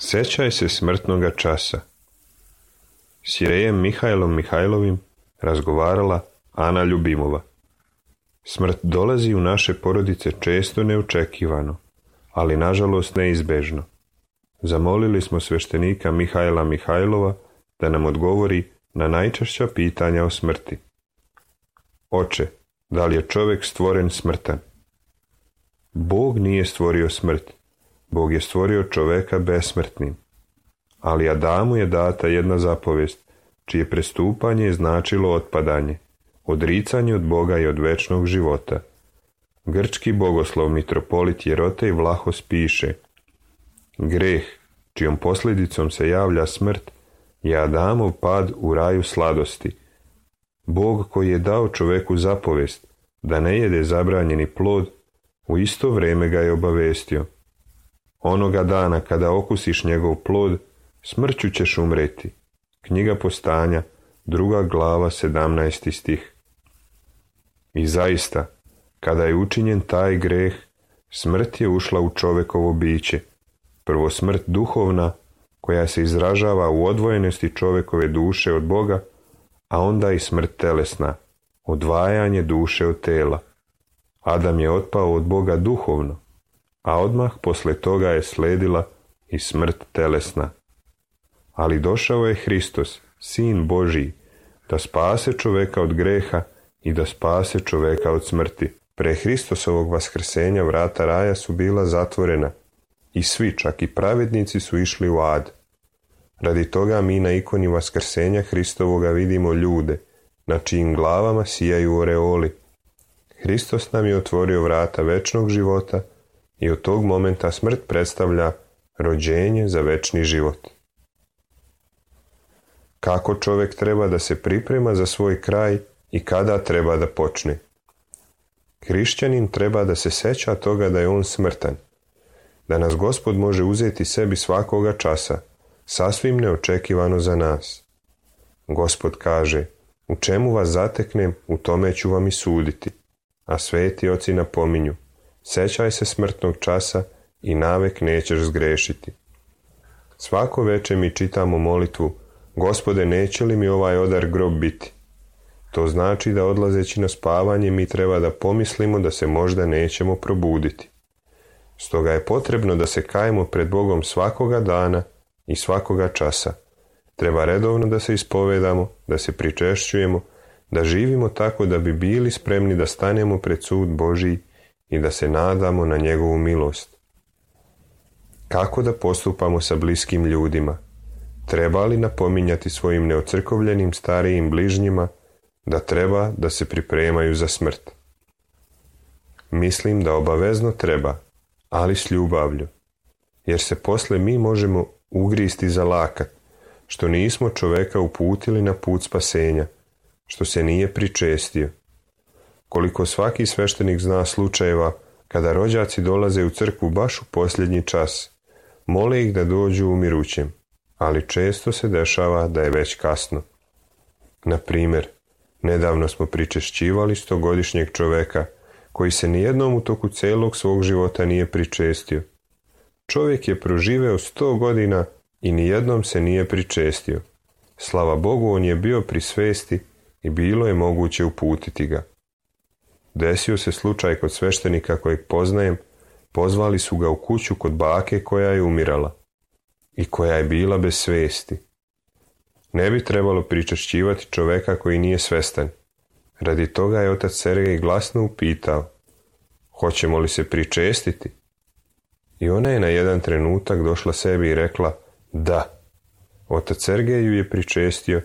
Sjećaj se smrtnoga časa. S Irejem Mihajlom Mihajlovim razgovarala Ana Ljubimova. Smrt dolazi u naše porodice često neočekivano, ali nažalost neizbežno. Zamolili smo sveštenika Mihajla Mihajlova da nam odgovori na najčešća pitanja o smrti. Oče, da li je čovjek stvoren smrtan? Bog nije stvorio smrt. Bog je stvorio čoveka besmrtnim. Ali Adamu je data jedna zapovijest, čije prestupanje je značilo otpadanje, odricanje od Boga i od večnog života. Grčki bogoslov mitropolit Jerotej Vlahos piše: greh, čijom posljedicom se javlja smrt, je Adamov pad u raju sladosti. Bog koji je dao čoveku zapovijest da ne jede zabranjeni plod, u isto vrijeme ga je obavestio: onoga dana kada okusiš njegov plod, smrću ćeš umreti. Knjiga Postanja, 2. glava, 17. stih. I zaista, kada je učinjen taj greh, smrt je ušla u čovekovo biće. Prvo smrt duhovna, koja se izražava u odvojenosti čovekove duše od Boga, a onda i smrt telesna, odvajanje duše od tela. Adam je otpao od Boga duhovno, a odmah posle toga je sledila i smrt telesna. Ali došao je Hristos, Sin Božiji, da spase čoveka od greha i da spase čoveka od smrti. Pre Hristosovog vaskrsenja vrata raja su bila zatvorena i svi, čak i pravednici, su išli u ad. Radi toga mi na ikoni vaskrsenja Hristovoga vidimo ljude, na čijim glavama sijaju oreoli. Hristos nam je otvorio vrata večnog života i od tog momenta smrt predstavlja rođenje za večni život. Kako čovjek treba da se priprema za svoj kraj i kada treba da počne? Hrišćanin treba da se seća toga da je on smrtan, da nas Gospod može uzeti sebi svakoga časa, sasvim neočekivano za nas. Gospod kaže: u čemu vas zateknem, u tome ću vam i suditi. A sveti oci napominju: sećaj se smrtnog časa i navek nećeš zgrešiti. Svako veče mi čitamo molitvu: Gospode, neće li mi ovaj odar grob biti? To znači da odlazeći na spavanje mi treba da pomislimo da se možda nećemo probuditi. Stoga je potrebno da se kajemo pred Bogom svakoga dana i svakoga časa. Treba redovno da se ispovedamo, da se pričešćujemo, da živimo tako da bi bili spremni da stanemo pred sud Božiji i da se nadamo na njegovu milost. Kako da postupamo sa bliskim ljudima? Treba li napominjati svojim neocrkovljenim starijim bližnjima da treba da se pripremaju za smrt? Mislim da obavezno treba, ali s ljubavlju, jer se posle mi možemo ugristi za lakat, što nismo čoveka uputili na put spasenja, što se nije pričestio. Koliko svaki sveštenik zna slučajeva kada rođaci dolaze u crkvu baš u posljednji čas, mole ih da dođu umirućem, ali često se dešava da je već kasno. Na primjer, nedavno smo pričešćivali 100-godišnjeg čoveka koji se nijednom u toku celog svog života nije pričestio. Čovjek je proživeo 100 godina i nijednom se nije pričestio. Slava Bogu, on je bio pri svesti i bilo je moguće uputiti ga. Desio se slučaj kod sveštenika kojeg poznajem, pozvali su ga u kuću kod bake koja je umirala i koja je bila bez svesti. Ne bi trebalo pričešćivati čoveka koji nije svestan. Radi toga je otac Sergej glasno upitao: hoćemo li se pričestiti? I ona je na jedan trenutak došla sebi i rekla: da. Otac Sergej ju je pričestio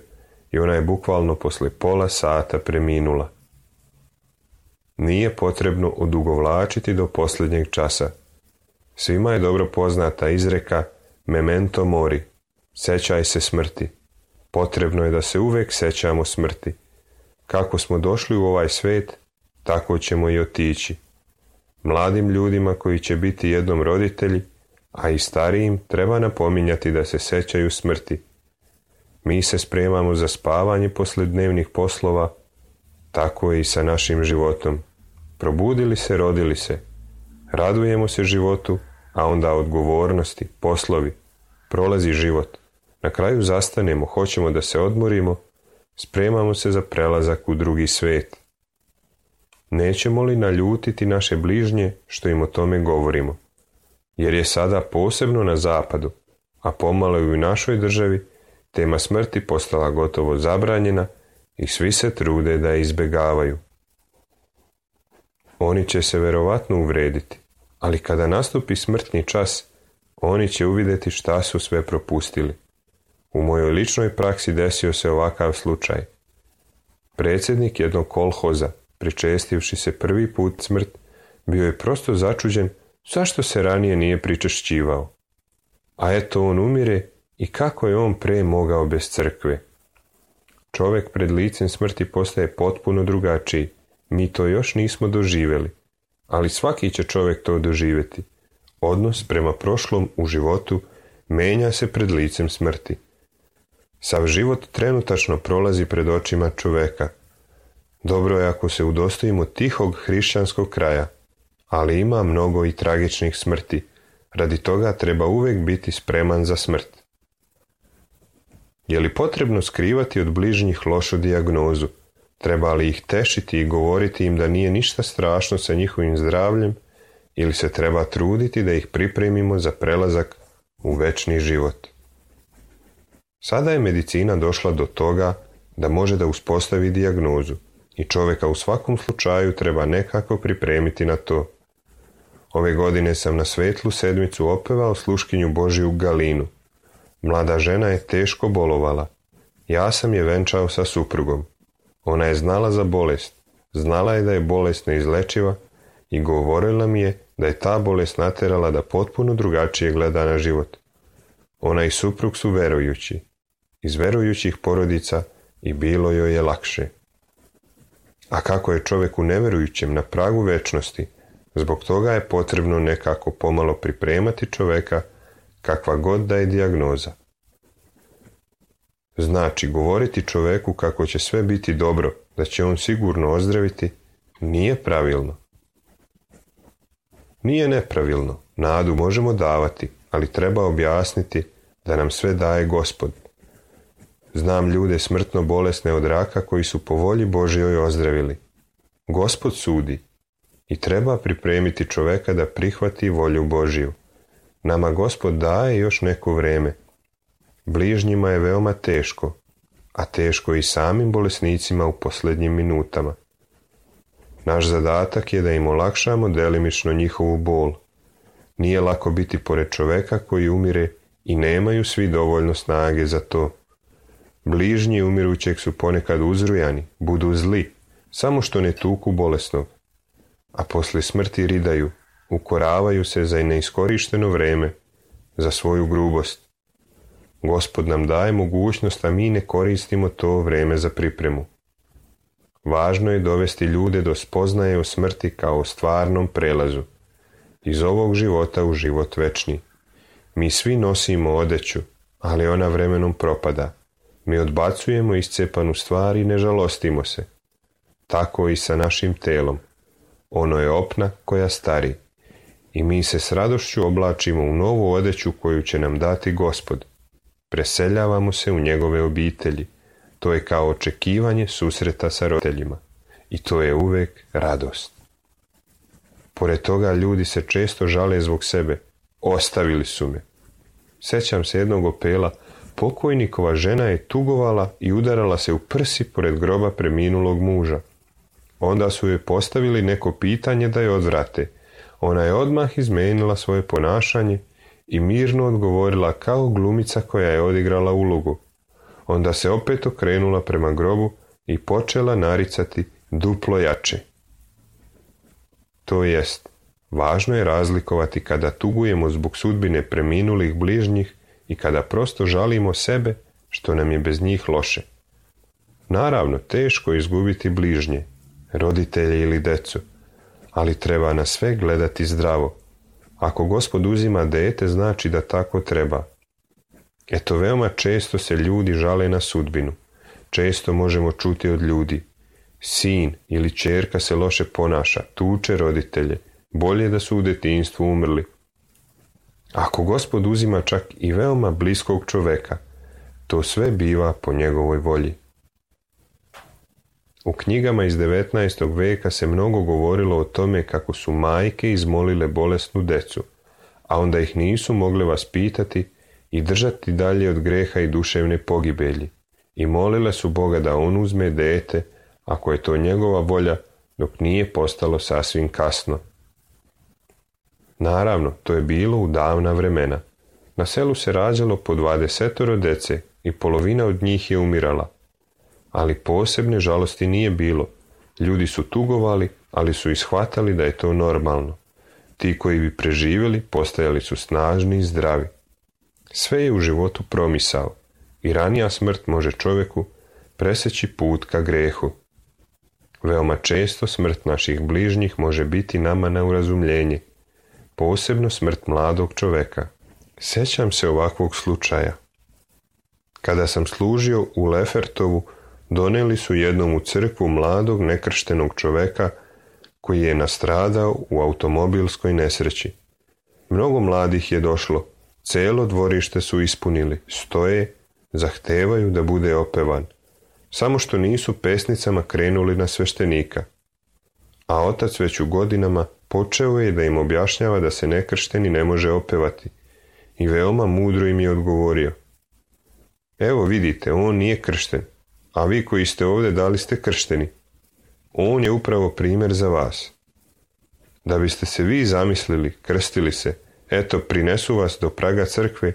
i ona je bukvalno posle pola sata preminula. Nije potrebno odugovlačiti do posljednjeg časa. Svima je dobro poznata izreka memento mori, sećaj se smrti. Potrebno je da se uvek sećamo smrti. Kako smo došli u ovaj svet, tako ćemo i otići. Mladim ljudima koji će biti jednom roditelji, a i starijim, treba napominjati da se sećaju smrti. Mi se spremamo za spavanje posle dnevnih poslova, tako je i sa našim životom. Probudili se, rodili se. Radujemo se životu, a onda odgovornosti, poslovi, prolazi život. Na kraju zastanemo, hoćemo da se odmorimo, spremamo se za prelazak u drugi svet. Nećemo li naljutiti naše bližnje što im o tome govorimo? Jer je sada posebno na zapadu, a pomalo i u našoj državi, tema smrti postala gotovo zabranjena i svi se trude da je izbjegavaju. Oni će se verovatno uvrediti, ali kada nastupi smrtni čas, oni će uvidjeti šta su sve propustili. U mojoj ličnoj praksi desio se ovakav slučaj. Predsjednik jednog kolhoza, pričestivši se prvi put smrt, bio je prosto začuđen zašto se ranije nije pričešćivao. A eto on umire i kako je on pre mogao bez crkve. Čovjek pred licem smrti postaje potpuno drugačiji. Mi to još nismo doživjeli, ali svaki će čovjek to doživjeti. Odnos prema prošlom u životu menja se pred licem smrti. Sav život trenutačno prolazi pred očima čovjeka. Dobro je ako se udostojimo tihog hrišćanskog kraja, ali ima mnogo i tragičnih smrti. Radi toga treba uvijek biti spreman za smrt. Je li potrebno skrivati od bližnjih lošu dijagnozu? Treba li ih tešiti i govoriti im da nije ništa strašno sa njihovim zdravljem ili se treba truditi da ih pripremimo za prelazak u večni život? Sada je medicina došla do toga da može da uspostavi dijagnozu i čovjeka u svakom slučaju treba nekako pripremiti na to. Ove godine sam na Svetlu sedmicu opevao sluškinju Božiju Galinu. Mlada žena je teško bolovala. Ja sam je venčao sa suprugom. Ona je znala za bolest. Znala je da je bolest neizlečiva i govorila mi je da je ta bolest naterala da potpuno drugačije gleda na život. Ona i suprug su verujući. Iz verujućih porodica i bilo joj je lakše. A kako je čovjeku neverujućem na pragu večnosti, zbog toga je potrebno nekako pomalo pripremati čovjeka kakva god da je dijagnoza. Znači, govoriti čovjeku kako će sve biti dobro, da će on sigurno ozdraviti, nije pravilno. Nije nepravilno, nadu možemo davati, ali treba objasniti da nam sve daje Gospod. Znam ljude smrtno bolesne od raka koji su po volji Božjoj ozdravili. Gospod sudi i treba pripremiti čovjeka da prihvati volju Božju. Nama Gospod daje još neko vrijeme. Bližnjima je veoma teško, a teško i samim bolesnicima u posljednjim minutama. Naš zadatak je da im olakšamo delimično njihovu bol. Nije lako biti pored čovjeka koji umire i nemaju svi dovoljno snage za to. Bližnji umirućeg su ponekad uzrujani, budu zli, samo što ne tuku bolesnog, a poslije smrti ridaju, ukoravaju se za neiskorišteno vrijeme, za svoju grubost. Gospod nam daje mogućnost, a mi ne koristimo to vrijeme za pripremu. Važno je dovesti ljude do spoznaje o smrti kao o stvarnom prelazu, iz ovog života u život večni. Mi svi nosimo odeću, ali ona vremenom propada. Mi odbacujemo iscepanu stvar i ne žalostimo se. Tako i sa našim telom. Ono je opna koja stari. I mi se s radošću oblačimo u novu odeću koju će nam dati Gospod. Preseljavamo se u njegove obitelji. To je kao očekivanje susreta sa roditeljima. I to je uvijek radost. Pored toga ljudi se često žale zbog sebe. Ostavili su me. Sjećam se jednog opela. Pokojnikova žena je tugovala i udarala se u prsi pored groba preminulog muža. Onda su joj postavili neko pitanje da je odvrate. Ona je odmah izmenila svoje ponašanje i mirno odgovorila kao glumica koja je odigrala ulogu. Onda se opet okrenula prema grobu i počela naricati duplo jače. To jest, važno je razlikovati kada tugujemo zbog sudbine preminulih bližnjih i kada prosto žalimo sebe što nam je bez njih loše. Naravno, teško je izgubiti bližnje, roditelje ili decu, ali treba na sve gledati zdravo. Ako Gospod uzima dete, znači da tako treba. Eto, veoma često se ljudi žale na sudbinu. Često možemo čuti od ljudi. Sin ili ćerka se loše ponaša, tuče roditelje, bolje da su u detinjstvu umrli. Ako Gospod uzima čak i veoma bliskog čoveka, to sve biva po njegovoj volji. U knjigama iz 19. veka se mnogo govorilo o tome kako su majke izmolile bolesnu decu, a onda ih nisu mogle vaspitati i držati dalje od greha i duševne pogibelji, i molile su Boga da on uzme dete, ako je to njegova volja, dok nije postalo sasvim kasno. Naravno, to je bilo u davna vremena. Na selu se rađalo po 20 dece i polovina od njih je umirala. Ali posebne žalosti nije bilo. Ljudi su tugovali, ali su ishvatali da je to normalno. Ti koji bi preživjeli postajali su snažni i zdravi. Sve je u životu promisao i ranija smrt može čovjeku preseći put ka grehu. Veoma često smrt naših bližnjih može biti nama na urazumljenje, posebno smrt mladog čovjeka. Sjećam se ovakvog slučaja. Kada sam služio u Lefertovu, donijeli su jednom u crkvu mladog nekrštenog čovjeka koji je nastradao u automobilskoj nesreći. Mnogo mladih je došlo, cijelo dvorište su ispunili, stoje, zahtevaju da bude opevan. Samo što nisu pesnicama krenuli na sveštenika. A otac već u godinama počeo je da im objašnjava da se nekršteni ne može opevati i veoma mudro im je odgovorio: evo vidite, on nije kršten, a vi koji ste ovdje da li ste kršteni? On je upravo primjer za vas. Da biste se vi zamislili, krstili se, eto prinesu vas do praga crkve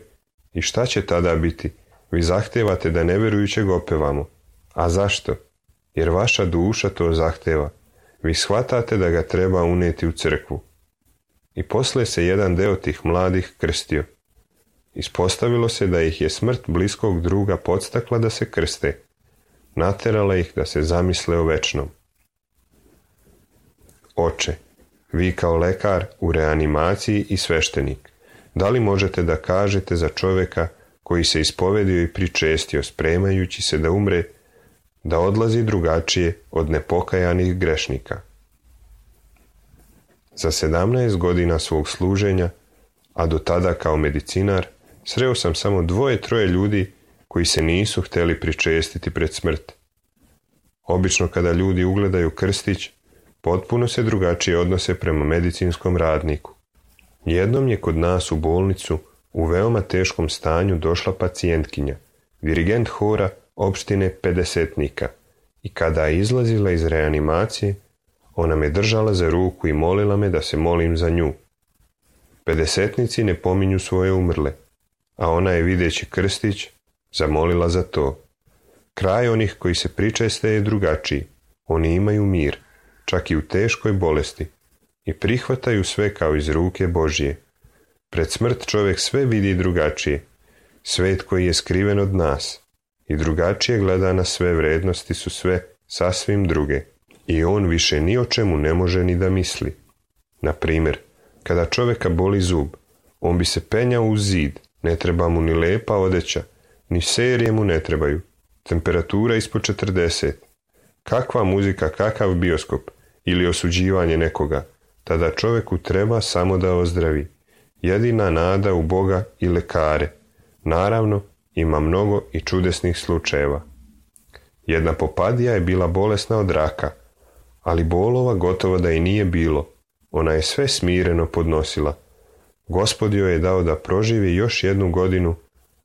i šta će tada biti? Vi zahtevate da nevjerujućeg opevamo. A zašto? Jer vaša duša to zahteva. Vi shvatate da ga treba uneti u crkvu. I poslije se jedan deo tih mladih krstio. Ispostavilo se da ih je smrt bliskog druga podstakla da se krste. Naterala ih da se zamisle o večnom. Oče, vi kao lekar u reanimaciji i sveštenik, da li možete da kažete za čovjeka koji se ispovedio i pričestio spremajući se da umre, da odlazi drugačije od nepokajanih grešnika? Za 17 godina svog služenja, a do tada kao medicinar, sreo sam samo 2-3 ljudi koji se nisu htjeli pričestiti pred smrt. Obično kada ljudi ugledaju krstić, potpuno se drugačije odnose prema medicinskom radniku. Jednom je kod nas u bolnicu u veoma teškom stanju došla pacijentkinja, dirigent hora opštine Pedesetnika, i kada je izlazila iz reanimacije, ona me držala za ruku i molila me da se molim za nju. Pedesetnici ne pominju svoje umrle, a ona je videći krstić zamolila za to. Kraj onih koji se pričeste je drugačiji. Oni imaju mir, čak i u teškoj bolesti, i prihvataju sve kao iz ruke Božje. Pred smrt čovjek sve vidi drugačije. Svet koji je skriven od nas i drugačije gleda na sve, vrednosti su sve sasvim druge i on više ni o čemu ne može ni da misli. Na primjer, kada čovjeka boli zub, on bi se penjao uz zid, ne treba mu ni lepa odeća, ni serije mu ne trebaju, temperatura ispod 40. Kakva muzika, kakav bioskop ili osuđivanje nekoga, tada čovjeku treba samo da ozdravi. Jedina nada u Boga i lekare. Naravno, ima mnogo i čudesnih slučajeva. Jedna popadija je bila bolesna od raka, ali bolova gotovo da i nije bilo. Ona je sve smireno podnosila. Gospod joj je dao da proživi još 1 godinu,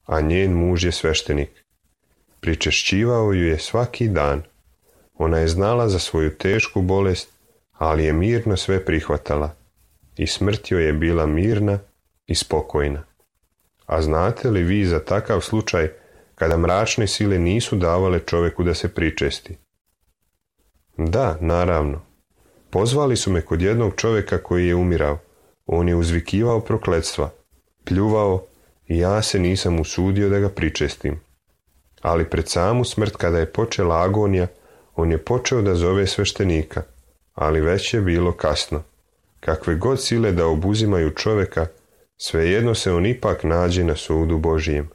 a njen muž je sveštenik. Pričešćivao ju je svaki dan. Ona je znala za svoju tešku bolest, ali je mirno sve prihvatala. I smrt joj je bila mirna i spokojna. A znate li vi za takav slučaj kada mračne sile nisu davale čovjeku da se pričesti? Da, naravno. Pozvali su me kod jednog čovjeka koji je umirao. On je uzvikivao prokletstva, pljuvao i ja se nisam usudio da ga pričestim. Ali pred samu smrt, kada je počela agonija, on je počeo da zove sveštenika, ali već je bilo kasno. Kakve god sile da obuzimaju čovjeka, svejedno se on ipak nađe na sudu Božijem.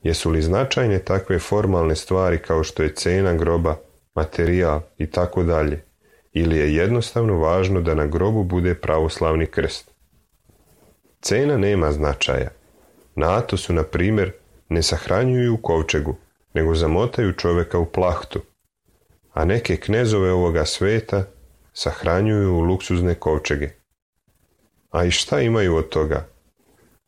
Jesu li značajne takve formalne stvari kao što je cena groba, materijal i tako dalje, ili je jednostavno važno da na grobu bude pravoslavni krst? Cena nema značaja. Na Atosu, na primjer, ne sahranjuju u kovčegu, nego zamotaju čovjeka u plahtu, a neke knezove ovoga sveta sahranjuju u luksuzne kovčege. A i šta imaju od toga?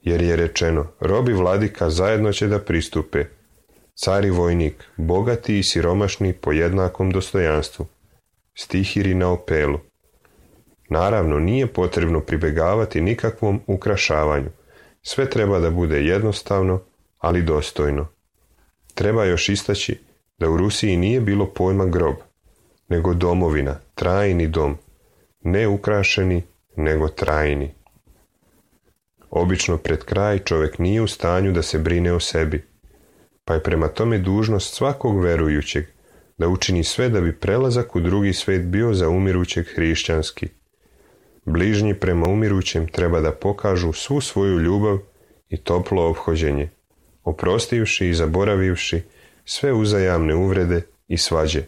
Jer je rečeno, rob i vladika zajedno će da pristupe, car i vojnik, bogati i siromašni po jednakom dostojanstvu. Stihiri na Opelu. Naravno, nije potrebno pribegavati nikakvom ukrašavanju. Sve treba da bude jednostavno, ali dostojno. Treba još istaći da u Rusiji nije bilo pojma grob, nego domovina, trajni dom, ne ukrašeni, nego trajni. Obično pred kraj čovjek nije u stanju da se brine o sebi, pa je prema tome dužnost svakog verujućeg da učini sve da bi prelazak u drugi svet bio za umirućeg hrišćanski. Bližnji prema umirućem treba da pokažu svu svoju ljubav i toplo ophođenje, oprostivši i zaboravivši sve uzajamne uvrede i svađe.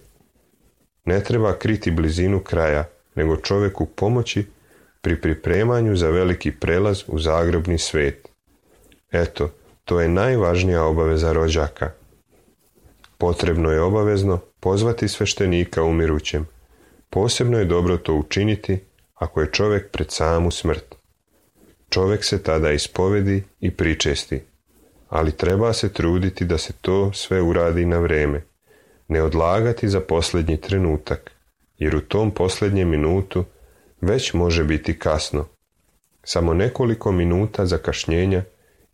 Ne treba kriti blizinu kraja, nego čovjeku pomoći pri pripremanju za veliki prelaz u zagrobni svet. Eto, to je najvažnija obaveza rođaka. Potrebno je obavezno pozvati sveštenika umirućem. Posebno je dobro to učiniti ako je čovjek pred samu smrt. Čovjek se tada ispovedi i pričesti, ali treba se truditi da se to sve uradi na vrijeme, ne odlagati za posljednji trenutak, jer u tom posljednjem minutu već može biti kasno. Samo nekoliko minuta zakašnjenja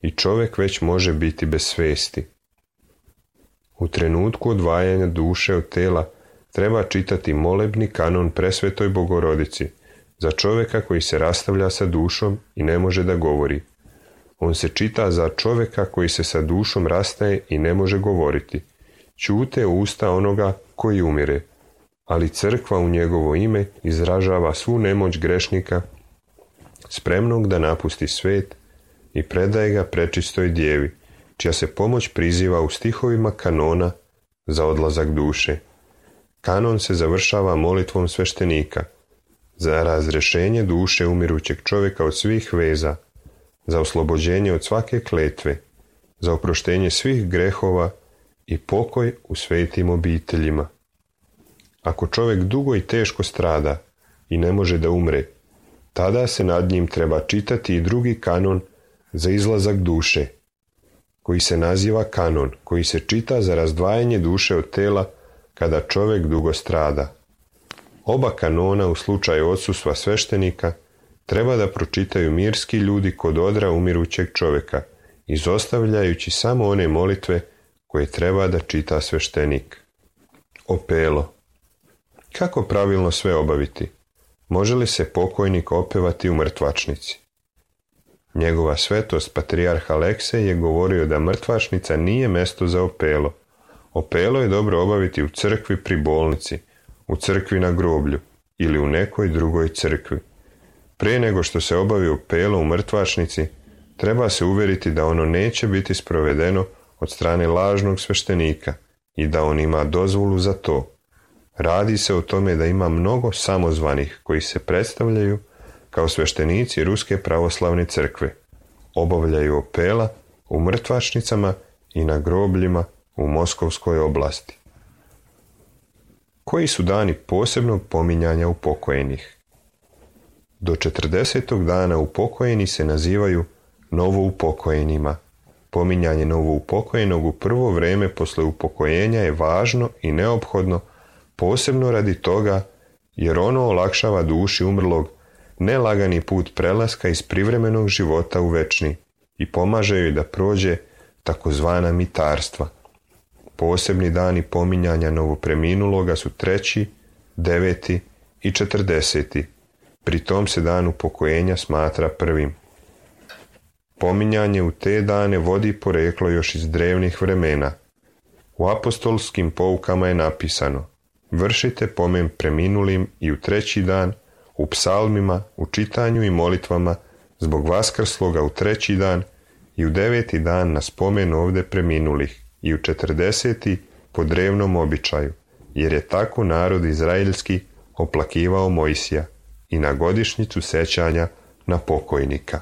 i čovjek već može biti bez svesti. U trenutku odvajanja duše od tela treba čitati molebni kanon Presvetoj Bogorodici za čovjeka koji se rastavlja sa dušom i ne može da govori. On se čita za čovjeka koji se sa dušom rastaje i ne može govoriti. Ćute usta onoga koji umire, ali crkva u njegovo ime izražava svu nemoć grešnika, spremnog da napusti svet i predaje ga prečistoj djevi, čija se pomoć priziva u stihovima kanona za odlazak duše. Kanon se završava molitvom sveštenika za razrešenje duše umirućeg čovjeka od svih veza, za oslobođenje od svake kletve, za oproštenje svih grehova i pokoj u svetim obiteljima. Ako čovjek dugo i teško strada i ne može da umre, tada se nad njim treba čitati i drugi kanon za izlazak duše, koji se naziva kanon, koji se čita za razdvajanje duše od tela kada čovjek dugo strada. Oba kanona u slučaju odsustva sveštenika treba da pročitaju mirski ljudi kod odra umirućeg čovjeka, izostavljajući samo one molitve koje treba da čita sveštenik. Opelo. Kako pravilno sve obaviti? Može li se pokojnik opevati u mrtvačnici? Njegova svetost patrijarh Aleksej je govorio da mrtvačnica nije mesto za opelo. Opelo je dobro obaviti u crkvi pri bolnici, u crkvi na groblju ili u nekoj drugoj crkvi. Prije nego što se obavi opelo u mrtvačnici, treba se uvjeriti da ono neće biti sprovedeno od strane lažnog sveštenika i da on ima dozvolu za to. Radi se o tome da ima mnogo samozvanih koji se predstavljaju kao sveštenici Ruske pravoslavne crkve. Obavljaju opela u mrtvačnicama i na grobljima u Moskovskoj oblasti. Koji su dani posebnog pominjanja upokojenih? Do 40. dana upokojeni se nazivaju novoupokojenima. Pominjanje novoupokojenog u prvo vrijeme posle upokojenja je važno i neophodno, posebno radi toga jer ono olakšava duši umrlog nelagani put prelaska iz privremenog života u večni i pomaže joj da prođe takozvana mitarstva. Posebni dani pominjanja novopreminuloga su 3., 9. i 40. Pri tom se dan upokojenja smatra prvim. Pominjanje u te dane vodi poreklo još iz drevnih vremena. U apostolskim poukama je napisano: vršite pomen preminulim i u 3. dan, u psalmima, u čitanju i molitvama zbog vaskrsloga u 3. dan i u 9. dan na spomen ovde preminulih i u 40. po drevnom običaju, jer je tako narod izraelski oplakivao Mojsija i na godišnjicu sećanja na pokojnika.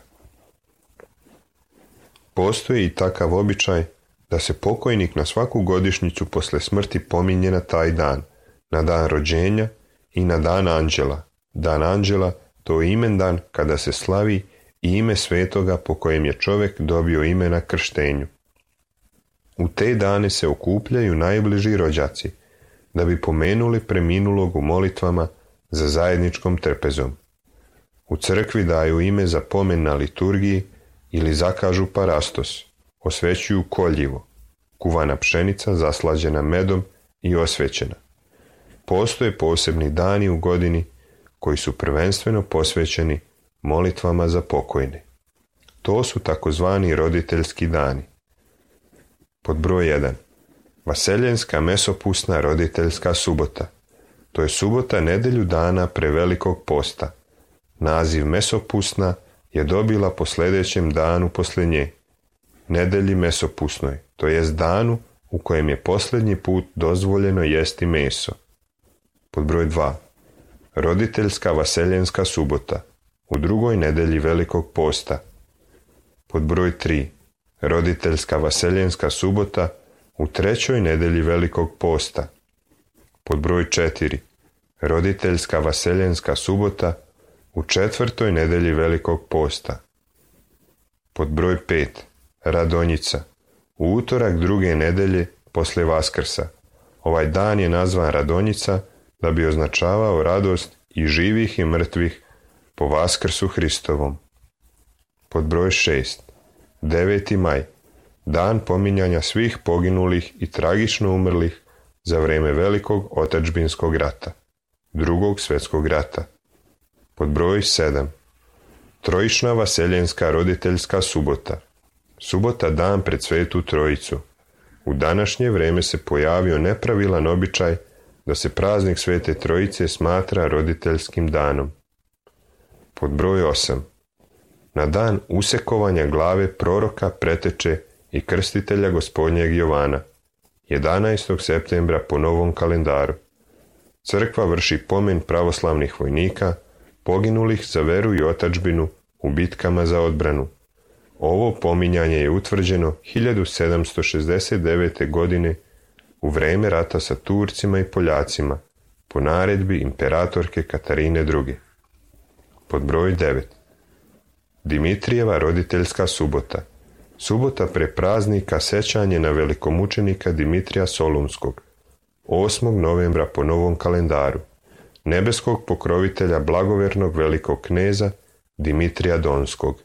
Postoji i takav običaj da se pokojnik na svaku godišnjicu posle smrti pominje na taj dan, na dan rođenja i na dan anđela. Dan anđela to je imendan kada se slavi i ime svetoga po kojem je čovjek dobio ime na krštenju. U te dane se okupljaju najbliži rođaci, da bi pomenuli preminulog u molitvama za zajedničkom trpezom. U crkvi daju ime za pomen na liturgiji ili zakažu parastos, osvećuju koljivo, kuvana pšenica zaslađena medom i osvećena. Postoje posebni dani u godini koji su prvenstveno posvećeni molitvama za pokojne. To su takozvani roditeljski dani. Pod broj 1. Vaseljenska mesopusna roditeljska subota. To je subota nedelju dana pre Velikog posta. Naziv mesopusna je dobila po sljedećem danu posle nje, nedelji mesopusnoj, to jest danu u kojem je posljednji put dozvoljeno jesti meso. Pod broj 2. Roditeljska vaseljenska subota, u drugoj nedelji Velikog posta. Pod broj 3. Roditeljska vaseljenska subota, u trećoj nedelji Velikog posta. Pod broj 4. Roditeljska vaseljenska subota, u četvrtoj nedelji Velikog posta. Pod broj 5. Radonjica, u utorak druge nedelje posle Vaskrsa. Ovaj dan je nazvan Radonjica da bi označavao radost i živih i mrtvih po Vaskrsu Hristovom. Pod broj 6. 9. maj, dan pominjanja svih poginulih i tragično umrlih za vrijeme Velikog otadžbinskog rata, Drugog svjetskog rata. Pod broj 7. Trojična vaseljenska roditeljska subota. Subota dan pred Svetu Trojicu. U današnje vrijeme se pojavio nepravilan običaj da se praznik Svete Trojice smatra roditeljskim danom. Pod broj 8. Na dan usekovanja glave proroka, preteče i krstitelja Gospodnjeg Jovana, 11. septembra po novom kalendaru. Crkva vrši pomen pravoslavnih vojnika, poginulih za veru i otadžbinu u bitkama za odbranu. Ovo pominjanje je utvrđeno 1769. godine u vrijeme rata sa Turcima i Poljacima po naredbi imperatorke Katarine II. Pod broj 9. Dimitrijeva roditeljska subota. Subota pre praznika sećanje na velikomučenika Dimitrija Solunskog, 8. novembra po novom kalendaru, nebeskog pokrovitelja blagovernog velikog kneza Dimitrija Donskog.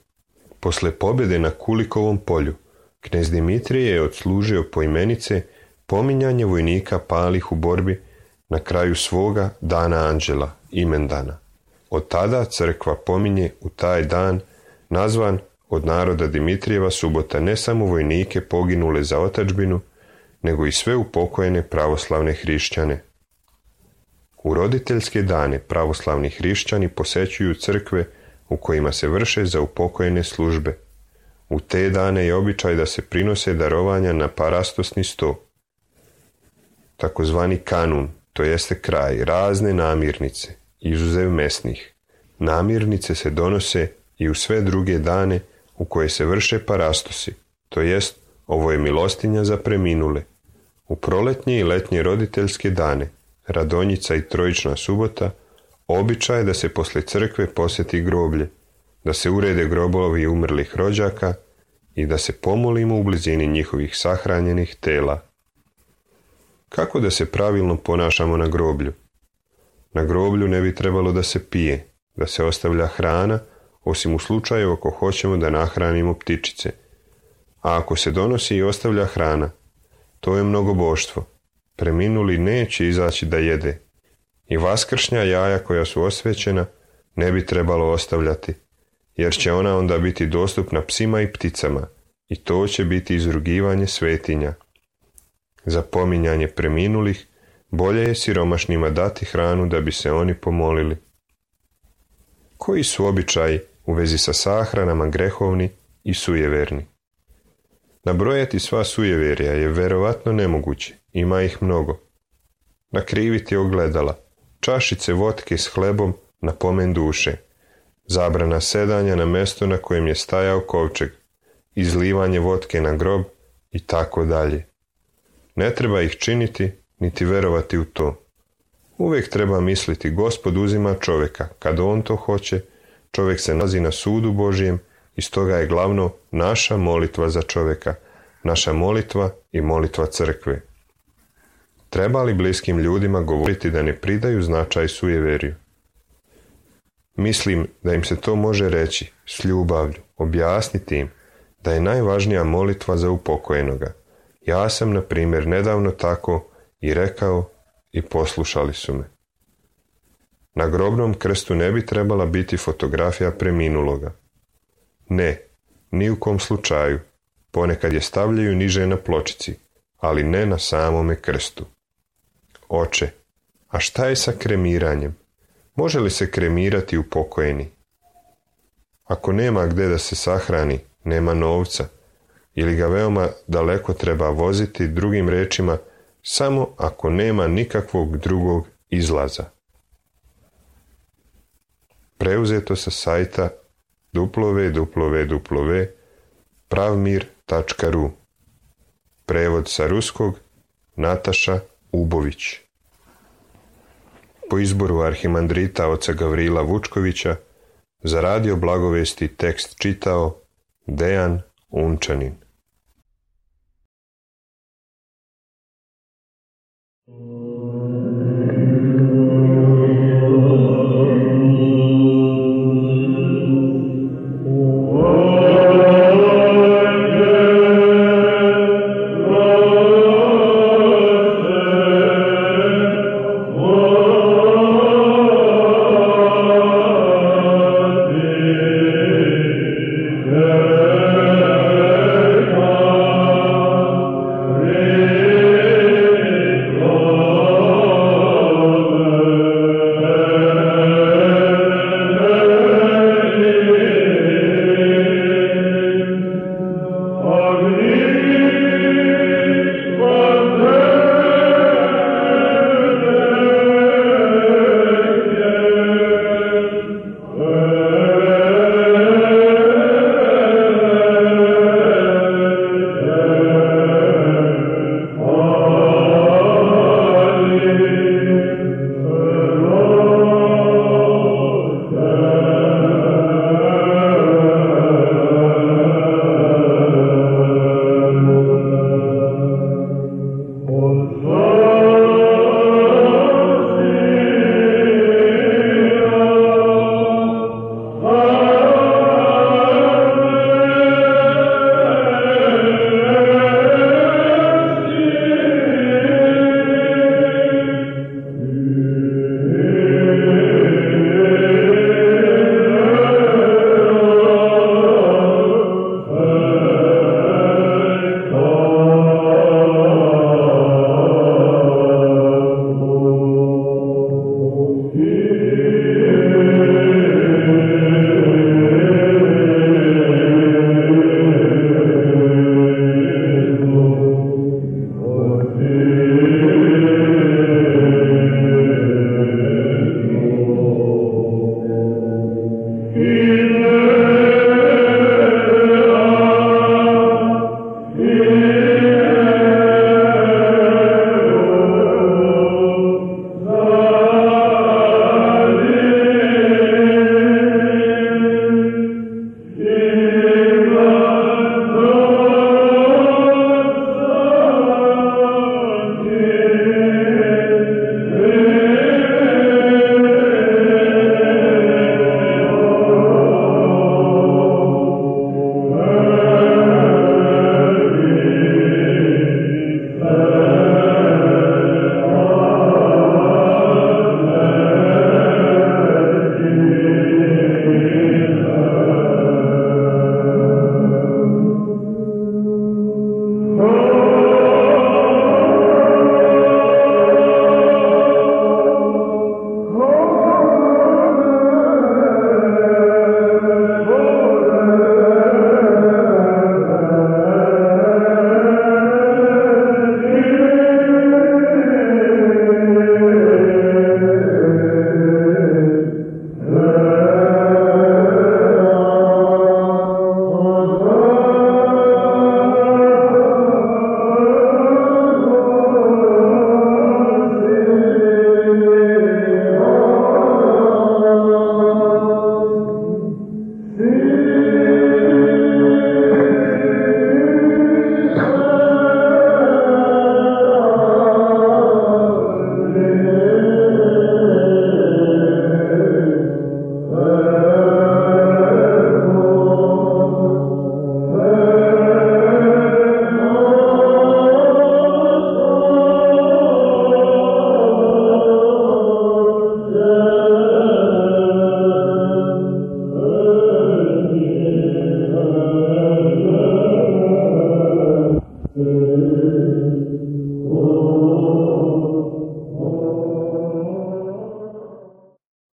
Posle pobjede na Kulikovom polju, knez Dimitrije je odslužio poimenice pominjanje vojnika palih u borbi na kraju svoga dana anđela, imendana. Od tada crkva pominje u taj dan, nazvan od naroda Dimitrijeva subota, ne samo vojnike poginule za otadžbinu, nego i sve upokojene pravoslavne hrišćane. U roditeljske dane pravoslavni hrišćani posećuju crkve u kojima se vrše za upokojene službe. U te dane je običaj da se prinose darovanja na parastosni sto, takozvani kanun, to jeste kraj, razne namirnice, izuzev mesnih. Namirnice se donose i u sve druge dane u koje se vrše parastosi, to jest ovo je milostinja za preminule. U proletnje i letnje roditeljske dane, Radonjica i Trojična subota, običaj je da se posle crkve posjeti groblje, da se urede grobovi umrlih rođaka i da se pomolimo u blizini njihovih sahranjenih tela. Kako da se pravilno ponašamo na groblju? Na groblju ne bi trebalo da se pije, da se ostavlja hrana, osim u slučaju ako hoćemo da nahranimo ptičice. A ako se donosi i ostavlja hrana, to je mnogoboštvo. Preminuli neće izaći da jede. I vaskršnja jaja koja su osvećena ne bi trebalo ostavljati, jer će ona onda biti dostupna psima i pticama i to će biti izrugivanje svetinja. Za pominjanje preminulih bolje je siromašnima dati hranu da bi se oni pomolili. Koji su običaji u vezi sa sahranama grehovni i sujeverni? Nabrojati sva sujeverja je verovatno nemoguće, ima ih mnogo. Nakriviti ogledala, čašice votke s hlebom na pomen duše, zabrana sedanja na mesto na kojem je stajao kovčeg, izlivanje vodke na grob i tako dalje. Ne treba ih činiti, niti verovati u to. Uvijek treba misliti, Gospod uzima čovjeka, kad on to hoće, čovjek se nalazi na sudu Božjem i stoga je glavno naša molitva za čovjeka, naša molitva i molitva crkve. Treba li bliskim ljudima govoriti da ne pridaju značaj sujeveriju? Mislim da im se to može reći s ljubavlju, objasniti im da je najvažnija molitva za upokojenoga. Ja sam, na primjer, nedavno tako i rekao i poslušali su me. Na grobnom krstu ne bi trebala biti fotografija preminuloga. Ne, ni u kom slučaju. Ponekad je stavljaju niže na pločici, ali ne na samome krstu. Oče, a šta je sa kremiranjem? Može li se kremirati upokojeni? Ako nema gdje da se sahrani, nema novca, ili ga veoma daleko treba voziti, drugim rečima, samo ako nema nikakvog drugog izlaza. Preuzeto sa sajta www.pravmir.ru. Prevod sa ruskog Nataša Ubović. Po izboru arhimandrita oca Gavrila Vučkovića za radio Blagovesti tekst čitao Dejan Unčanin.